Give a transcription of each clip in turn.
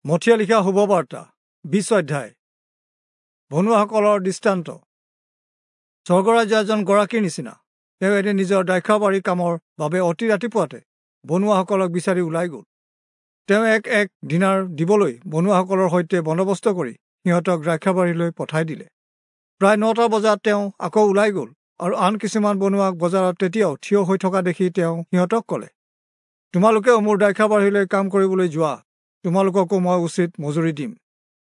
মথিয়ে লিখা শুভবাৰ্তা 20 অধ্যায়। বনুৱাসকলৰ দৃষ্টান্ত। স্বৰ্গৰাজ্য এজন গৰাকীৰ নিচিনা। তেওঁ এদিন নিজৰ দ্ৰাক্ষাবাৰীৰ কামৰ বাবে অতি ৰাতিপুৱাতে বনুৱাসকলক বিচাৰি ওলাই গ'ল। তেওঁ এক এক দিনাৰ দিবলৈ বনুৱাসকলৰ সৈতে বন্দোবস্ত কৰি সিহঁতক দ্ৰাক্ষাবাৰীলৈ পঠাই দিলে। প্ৰায় 9টা বজাত তেওঁ আকৌ ওলাই গ'ল আৰু আন কিছুমান বনুৱাক বজাৰত তেতিয়াও থিয় হৈ থকা দেখি তেওঁ সিহঁতক ক'লে, তোমালোকেও মোৰ দ্ৰাক্ষাবাৰীলৈ কাম কৰিবলৈ যোৱা, তোমালোককো মই উচিত মজুৰি দিম।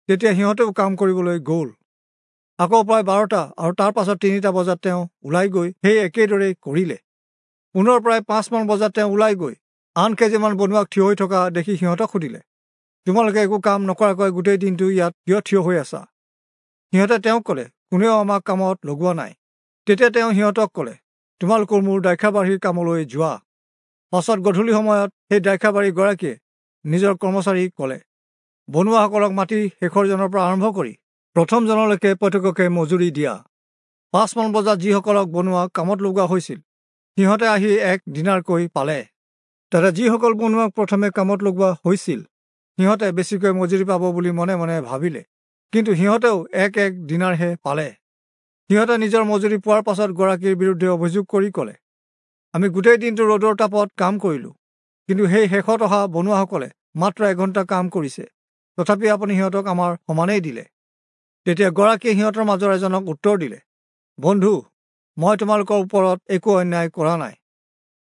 তেতিয়া সিহঁতেও কাম কৰিবলৈ গ'ল। আকৌ প্ৰায় 12টা আৰু তাৰ পাছত 3টা বজাত তেওঁ ওলাই গৈ সেই একেদৰেই কৰিলে। পুনৰ প্ৰায় 5মান বজাত তেওঁ ওলাই গৈ আন কেইজনমান বনুৱাক থিয় হৈ থকা দেখি সিহঁতক সুধিলে, তোমালোকে একো কাম নকৰাকৈ গোটেই দিনটো ইয়াত কিয় থিয় হৈ আছা? সিহঁতে তেওঁক ক'লে, কোনেও আমাক কামত লগোৱা নাই। তেতিয়া তেওঁ সিহঁতক ক'লে, তোমালোকৰ মোৰ দ্ৰাক্ষাবাৰীৰ কামলৈ যোৱা। পাছত গধূলি সময়ত সেই দ্ৰাক্ষাবাৰীৰ গৰাকীয়ে নিজৰ কৰ্মচাৰীক ক'লে, বনুৱাসকলক মাতি শেষৰজনৰ পৰা আৰম্ভ কৰি প্ৰথমজনলৈকে প্ৰত্যেককে মজুৰি দিয়া। 5মান বজাত যিসকলক বনুৱা কামত লগোৱা হৈছিল সিহঁতে আহি এক দিনাৰকৈ পালে। তাতে যিসকল বনুৱাক প্ৰথমে কামত লগোৱা হৈছিল সিহঁতে বেছিকৈ মজুৰি পাব বুলি মনে মনে ভাবিলে, কিন্তু সিহঁতেও এক এক দিনাৰহে পালে। সিহঁতে নিজৰ মজুৰি পোৱাৰ পাছত গৰাকীৰ বিৰুদ্ধে অভিযোগ কৰি ক'লে, আমি গোটেই দিনটো ৰ'দৰ তাপত কাম কৰিলোঁ, কিন্তু সেই শেষত অহা বনুৱাসকলে মাত্ৰ এঘণ্টা কাম কৰিছে, তথাপি আপুনি সিহঁতক আমাৰ সমানেই দিলে। তেতিয়া গৰাকীয়ে সিহঁতৰ মাজৰ এজনক উত্তৰ দিলে, বন্ধু, মই তোমালোকৰ ওপৰত একো অন্যায় কৰা নাই।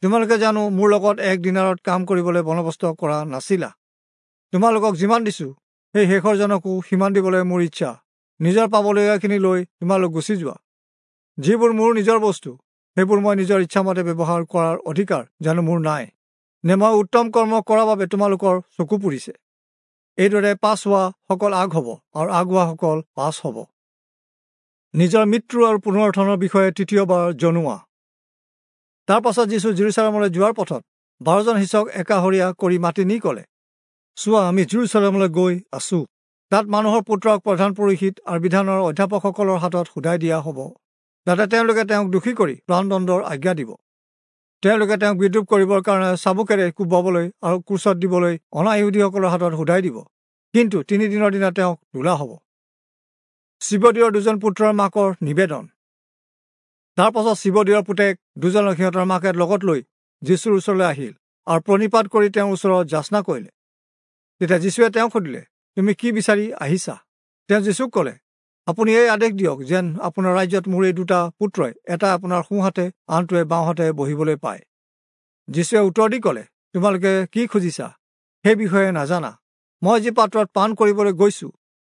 তোমালোকে জানো মোৰ লগত এক দিনাৰত কাম কৰিবলৈ বন্দোবস্ত কৰা নাছিলা? তোমালোকক যিমান দিছোঁ সেই শেষৰজনকো সিমান দিবলৈ মোৰ ইচ্ছা। নিজৰ পাবলগীয়াখিনি লৈ তোমালোক গুচি যোৱা। যিবোৰ মোৰ নিজৰ বস্তু সেইবোৰ মই নিজৰ ইচ্ছামতে ব্যৱহাৰ কৰাৰ অধিকাৰ জানো মোৰ নাই? নে মই উত্তম কৰ্ম কৰাৰ বাবে তোমালোকৰ চকু পুৰিছে? এইদৰে পাছ হোৱাসকল আগ হ'ব আৰু আগ হোৱাসকল পাছ হ'ব। নিজৰ মৃত্যু আৰু পুনৰুত্থানৰ বিষয়ে তৃতীয়বাৰ জনোৱা। তাৰ পাছত যীচু জেৰুচালেমলৈ যোৱাৰ পথত 12জন শিষ্যক একাষৰীয়া কৰি মাতি নি ক'লে, চোৱা, আমি জেৰুচালেমলৈ গৈ আছো। তাত মানুহৰ পুত্ৰক প্ৰধান পুৰোহিত আৰু বিধানৰ অধ্যাপকসকলৰ হাতত সোধাই দিয়া হ'ব। তাতে তেওঁলোকে তেওঁক দোষী কৰি প্ৰাণদণ্ডৰ আজ্ঞা দিব। তেওঁলোকে তেওঁক বিদ্ৰূপ কৰিবৰ কাৰণে চাবুকেৰে কোবাবলৈ আৰু ক্ৰুচত দিবলৈ অনা-ইহুদীসকলৰ হাতত সোধাই দিব, কিন্তু 3 দিনৰ দিনা তেওঁক তোলা হ'ব। চিবদিয়ৰ দুজন পুত্ৰৰ মাকৰ নিবেদন। তাৰ পাছত চিবদিয়ৰ পুতেক দুজনক সিহঁতৰ মাকে লগত লৈ যীচুৰ ওচৰলৈ আহিল আৰু প্ৰণিপাত কৰি তেওঁৰ ওচৰত যাচনা কৰিলে। তেতিয়া যীচুৱে তেওঁক সুধিলে, তুমি কি বিচাৰি আহিছা? তেওঁ যীচুক ক'লে, আপুনি এই আদেশ দিয়ক যেন আপোনাৰ ৰাজ্যত মোৰ এই দুটা পুত্ৰই এটা আপোনাৰ সোঁহাতে আনটোৱে বাওঁহাতে বহিবলৈ পায়। যীচুৱে উত্তৰ দি ক'লে, তোমালোকে কি খুজিছা সেই বিষয়ে নাজানা। মই যি পাত্ৰত পান কৰিবলৈ গৈছোঁ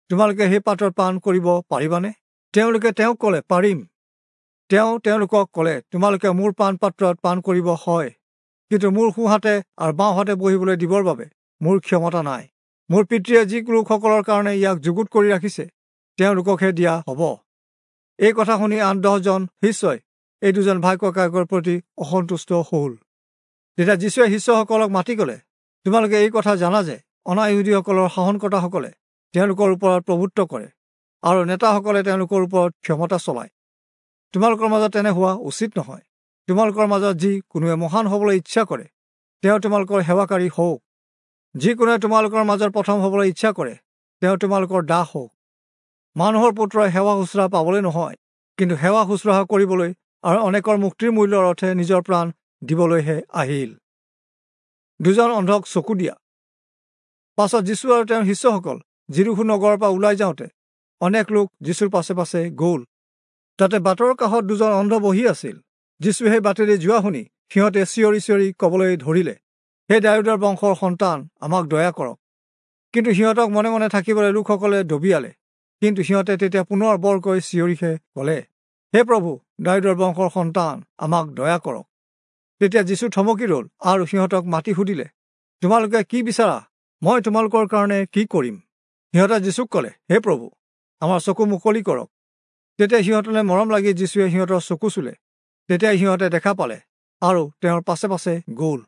তোমালোকে সেই পাত্ৰত পান কৰিব পাৰিবানে? তেওঁলোকে তেওঁক ক'লে, পাৰিম। তেওঁ তেওঁলোকক ক'লে, তোমালোকে মোৰ পান পাত্ৰত পান কৰিব হয়, কিন্তু মোৰ সোঁহাতে আৰু বাওঁহাতে বহিবলৈ দিবৰ বাবে মোৰ ক্ষমতা নাই। মোৰ পিতৃয়ে যি লোকসকলৰ কাৰণে ইয়াক যুগুত কৰি ৰাখিছে তেওঁলোককহে দিয়া হ'ব। এই কথা শুনি আন 10জন শিষ্যই এই দুজন ভাই ককায়েকৰ প্ৰতি অসন্তুষ্ট হ'ল। তেতিয়া যীচুৱে শিষ্যসকলক মাতি ক'লে, তোমালোকে এই কথা জানা যে অনা-ইহুদীসকলৰ শাসনকৰ্তাসকলে তেওঁলোকৰ ওপৰত প্ৰভুত্ব কৰে আৰু নেতাসকলে তেওঁলোকৰ ওপৰত ক্ষমতা চলায়। তোমালোকৰ মাজত তেনে হোৱা উচিত নহয়। তোমালোকৰ মাজত যি কোনোৱে মহান হ'বলৈ ইচ্ছা কৰে তেওঁ তোমালোকৰ সেৱাকাৰী হওক। যি কোনোৱে তোমালোকৰ মাজত প্ৰথম হ'বলৈ ইচ্ছা কৰে তেওঁ তোমালোকৰ দাস হওক। মানুহৰ পুত্ৰই সেৱা শুশ্ৰূষা পাবলৈ নহয়, কিন্তু সেৱা শুশ্ৰূষা কৰিবলৈ আৰু অনেকৰ মুক্তিৰ মূল্যৰ অৰ্থে নিজৰ প্ৰাণ দিবলৈহে আহিল। দুজন অন্ধক চকু দিয়া। পাছত যীচু আৰু তেওঁৰ শিষ্যসকল যিৰূহো নগৰৰ পৰা ওলাই যাওঁতে অনেক লোক যীচুৰ পাছে পাছে গ'ল। তাতে বাটৰ কাষত দুজন অন্ধ বহি আছিল। যীচু সেই বাটেৰে যোৱা শুনি সিহঁতে চিঞৰি চিঞৰি ক'বলৈ ধৰিলে, হে দায়ূদৰ বংশৰ সন্তান, আমাক দয়া কৰক। কিন্তু সিহঁতক মনে মনে থাকিবলৈ লোকসকলে দবিয়ালে। কিন্তু সিহঁতে তেতিয়া পুনৰ বৰকৈ চিঞৰিহে ক'লে, হে প্ৰভু, দায়ূদৰ বংশৰ সন্তান, আমাক দয়া কৰক। তেতিয়া যীচু থমকি ৰ'ল আৰু সিহঁতক মাতি সুধিলে, তোমালোকে কি বিচাৰা? মই তোমালোকৰ কাৰণে কি কৰিম? সিহঁতে যীচুক ক'লে, হে প্ৰভু, আমাৰ চকু মুকলি কৰক। তেতিয়া সিহঁতলৈ মৰম লাগি যীচুৱে সিহঁতৰ চকু চুলে। তেতিয়া সিহঁতে দেখা পালে আৰু তেওঁৰ পাছে পাছে গ'ল।